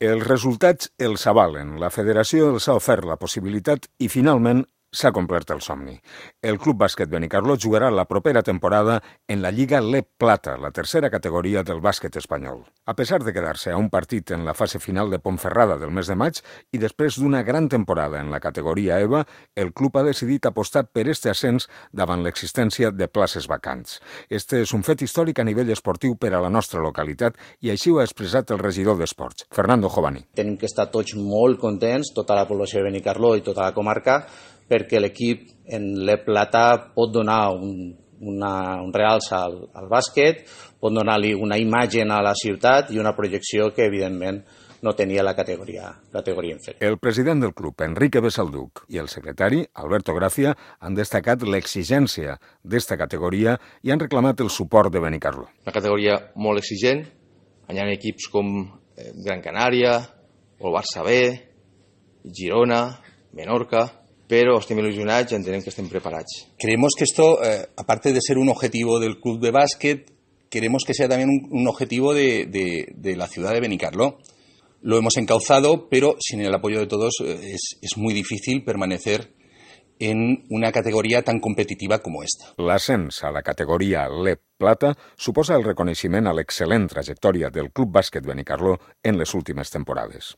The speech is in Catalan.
Els resultats els avalen. La federació els ha ofert la possibilitat i, finalment, s'ha complert el somni. El Club Bàsquet Benicarló jugarà la propera temporada en la Lliga LEP Plata, la tercera categoria del bàsquet espanyol. A pesar de quedar-se a un partit en la fase final de Ponferrada del mes de maig i després d'una gran temporada en la categoria EVA, el club ha decidit apostar per este ascens davant l'existència de places vacants. Este és un fet històric a nivell esportiu per a la nostra localitat i així ho ha expressat el regidor d'Esports, Fernando Jovani. Tenim que estar tots molt contents, tota la població de Benicarló i tota la comarca, perquè l'equip en l'E Plata pot donar un realç al bàsquet, pot donar-li una imatge a la ciutat i una projecció que, evidentment, no tenia la categoria inferior. El president del club, Enrique Besalduc, i el secretari, Alberto Gracia, han destacat l'exigència d'esta categoria i han reclamat el suport de Benicarló. Una categoria molt exigent, hi ha equips com Gran Canària, o el Barça B, Girona, Menorca, pero estem ilusionats y entendemos que estén preparados. Creemos que esto, aparte de ser un objetivo del club de básquet, queremos que sea también un objetivo de la ciudad de Benicarló. Lo hemos encauzado, pero sin el apoyo de todos es muy difícil permanecer en una categoria tan competitiva com esta. L'ascens a la categoria LEP Plata suposa el reconeixement a l'excel·lent trajectòria del Club Bàsquet Benicarló en les últimes temporades.